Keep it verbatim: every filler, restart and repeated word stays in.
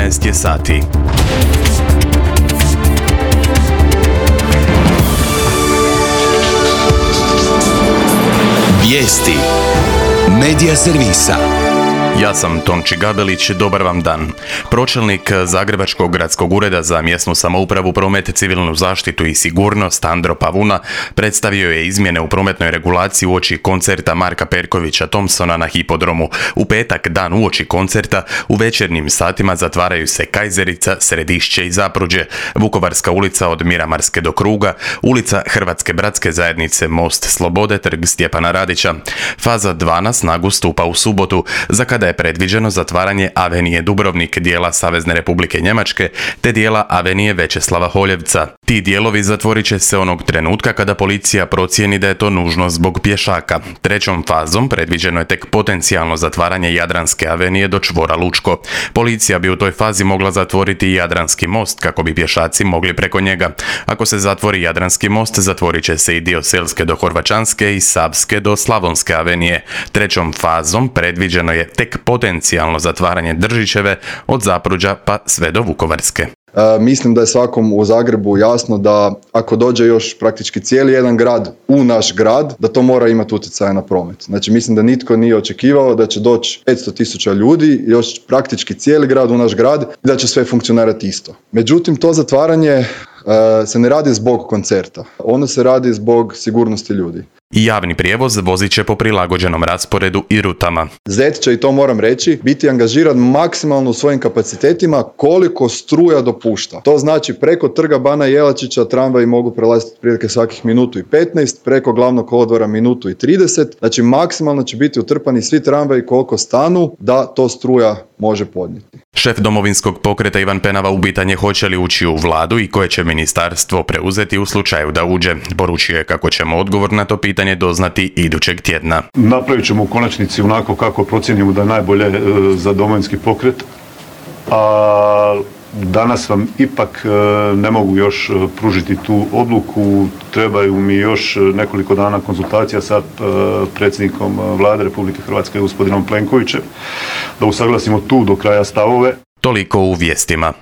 jedanaest je sati. Vijesti Medija servisa. Ja sam Tonči Gabelić, dobar vam dan. Pročelnik Zagrebačkog gradskog ureda za mjesnu samoupravu, promet, civilnu zaštitu i sigurnost Andro Pavuna predstavio je izmjene u prometnoj regulaciji uoči koncerta Marka Perkovića Thompsona na Hipodromu. U petak, dan uoči koncerta, u večernjim satima zatvaraju se Kajzerica, Središće i Zapruđe, Vukovarska ulica od Miramarske do Kruga, ulica Hrvatske bratske zajednice, Most Slobode, Trg Stjepana Radića. Faza dva na snagu stupa u subotu, za kada je predviđeno zatvaranje Avenije Dubrovnik, dijela Savezne Republike Njemačke, te dijela Avenije Večeslava Holjevca. Ti dijelovi zatvorit će se onog trenutka kada policija procijeni da je to nužno zbog pješaka. Trećom fazom predviđeno je tek potencijalno zatvaranje Jadranske avenije do čvora Lučko. Policija bi u toj fazi mogla zatvoriti i Jadranski most kako bi pješaci mogli preko njega. Ako se zatvori Jadranski most, zatvorit će se i dio Selske do Horvaćanske i Savske do Slavonske avenije. Trećom fazom predviđeno je tek potencijalno zatvaranje Držićeve od Zapruđa pa sve do Vukovarske. E, mislim da je svakom u Zagrebu jasno da ako dođe još praktički cijeli jedan grad u naš grad, da to mora imati utjecaja na promet. Znači mislim da nitko nije očekivao da će doći petsto tisuća ljudi, još praktički cijeli grad u naš grad i da će sve funkcionirati isto. Međutim, to zatvaranje e, se ne radi zbog koncerta, ono se radi zbog sigurnosti ljudi. I javni prijevoz vozit će po prilagođenom rasporedu i rutama. Zet će, i to moram reći, biti angažiran maksimalno u svojim kapacitetima koliko struja dopušta. To znači preko Trga Bana Jelačića tramvaji mogu prelaziti prilike svakih minutu i petnaest, preko Glavnog kolodvora minutu i trideset. Znači maksimalno će biti utrpani svi tramvaji koliko stanu da to struja može podnijeti. Šef Domovinskog pokreta Ivan Penava upitan je hoće li ući u vladu i koje će ministarstvo preuzeti u slučaju da uđe. Poručio je kako ćemo odgovor na to pitanje doznati idućeg tjedna. Napravit ćemo u konačnici onako kako procijenimo da je najbolje za Domovinski pokret, a danas vam ipak ne mogu još pružiti tu odluku. Trebaju mi još nekoliko dana konzultacija sa predsjednikom Vlade Republike Hrvatske gospodinom Plenkovićem da usaglasimo tu do kraja stavove. Toliko u vijestima.